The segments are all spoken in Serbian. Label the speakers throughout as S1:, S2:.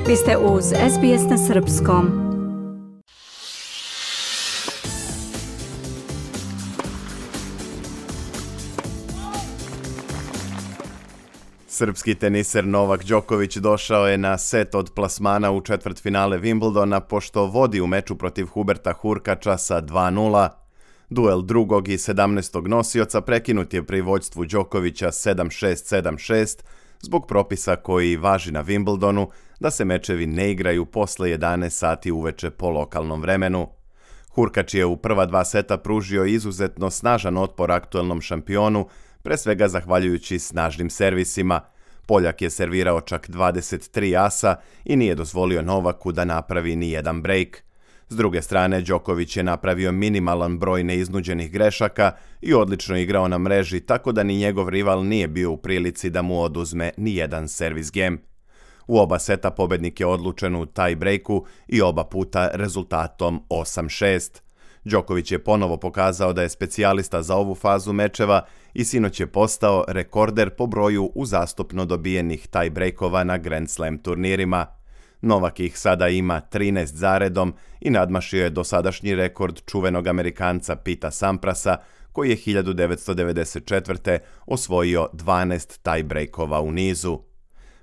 S1: Vi ste uz SBS na Srpskom.
S2: Srpski teniser Novak Đoković došao je na set od plasmana u četvrtfinale Wimbledona pošto vodi u meču protiv Huberta Hurkača sa 2:0. Duel drugog i 17. nosioca prekinut je pri vođstvu Đokovića 7-6, 7-6 zbog propisa koji važi na Wimbledonu da se mečevi ne igraju posle 11 sati uveče po lokalnom vremenu. Hurkač je u prva dva seta pružio izuzetno snažan otpor aktuelnom šampionu, pre svega zahvaljujući snažnim servisima. Poljak je servirao čak 23 asa i nije dozvolio Novaku da napravi ni jedan brejk. S druge strane, Đoković je napravio minimalan broj neiznuđenih grešaka i odlično igrao na mreži, tako da ni njegov rival nije bio u prilici da mu oduzme ni jedan servis gem. U oba seta pobednik je odlučen u taj brejku i oba puta rezultatom 8-6. Đoković je ponovo pokazao da je specijalista za ovu fazu mečeva i sinoć je postao rekorder po broju uzastopno dobijenih taj-brejkova na Grand Slam turnirima. Novak ih sada ima 13 zaredom i nadmašio je dosadašnji rekord čuvenog Amerikanca Pita Samprasa, koji je 1994. osvojio 12 taj-brejkova u nizu.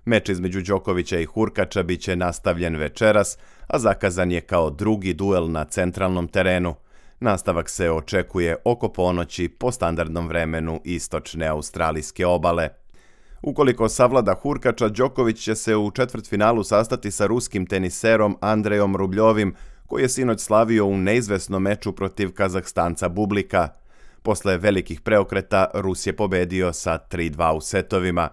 S2: Meč između Đokovića i Hurkača bit će nastavljen večeras, a zakazan je kao drugi duel na centralnom terenu. Nastavak se očekuje oko ponoći po standardnom vremenu istočne australijske obale. Ukoliko savlada Hurkača, Đoković će se u četvrtfinalu sastati sa ruskim teniserom Andrejom Rubljovim, koji je sinoć slavio u neizvesnom meču protiv Kazahstanca Bublika. Posle velikih preokreta, Rus je pobedio sa 3:2 u setovima.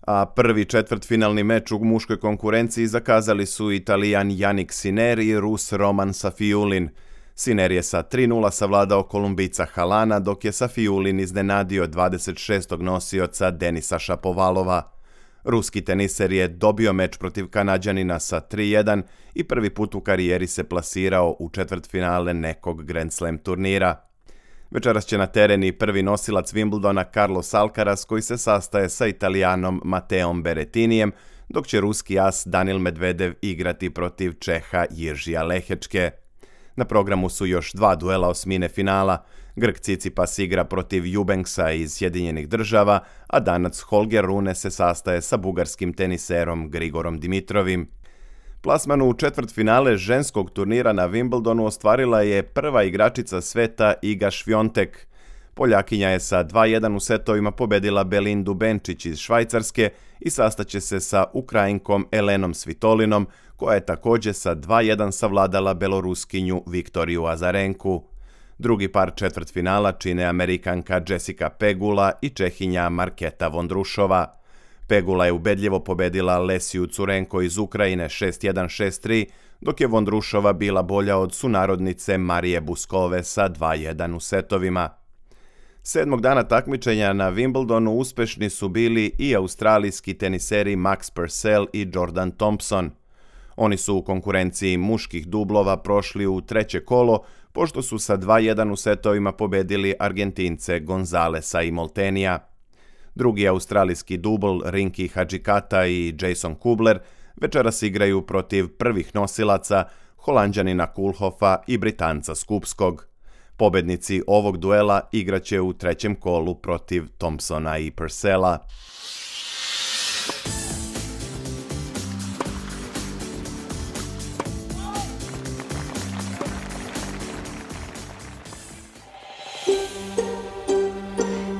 S2: A prvi četvrtfinalni meč u muškoj konkurenciji zakazali su Italijan Jannik Sinner i Rus Roman Safiulin. Sinner je sa 3:0 savladao Kolumbijca Halana, dok je Safiulin iznenadio 26. nosioca Denisa Šapovalova. Ruski teniser je dobio meč protiv Kanađanina sa 3:1 i prvi put u karijeri se plasirao u četvrtfinale nekog Grand Slam turnira. Večeras će na teren i prvi nosilac Wimbledona Carlos Alcaraz, koji se sastaje sa Italijanom Mateom Berettinijem, dok će ruski as Danil Medvedev igrati protiv Čeha Jiržija Lehečke. Na programu su još dva duela osmine finala. Grk Tsitsipas igra protiv Eubanksa iz Sjedinjenih Država, a Danac Holger Rune se sastaje sa bugarskim teniserom Grigorom Dimitrovim. Plasman u četvrtfinale ženskog turnira na Wimbledonu ostvarila je prva igračica sveta Iga Švjontek. Poljakinja je sa 2:1 u setovima pobedila Belindu Benčić iz Švajcarske i sastaće se sa Ukrajinkom Elenom Svitolinom, koja je također sa 2:1 savladala Beloruskinju Viktoriju Azarenku. Drugi par četvrtfinala čine Amerikanka Jessica Pegula i Čehinja Marketa Vondrušova. Pegula je ubedljivo pobedila Lesiju Curenko iz Ukrajine 6:1, 6:3, dok je Vondrušova bila bolja od sunarodnice Marije Buskove sa 2:1 u setovima. Sedmog dana takmičenja na Wimbledonu uspešni su bili i australijski teniseri Max Purcell i Jordan Thompson. Oni su u konkurenciji muških dublova prošli u treće kolo, pošto su sa 2:1 u setovima pobedili Argentince Gonzalesa i Moltenija. Drugi australijski dubl Rinki Hadžikata i Jason Kubler večeras igraju protiv prvih nosilaca Holanđanina Kulhofa i Britanca Skupskog. Pobednici ovog duela igraće u trećem kolu protiv Thompsona i Purcella.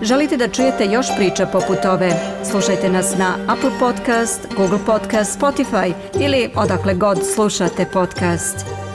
S1: Želite da čujete još priča poput ove? Slušajte nas na Apple Podcast, Google Podcast, Spotify ili odakle god slušate podcast.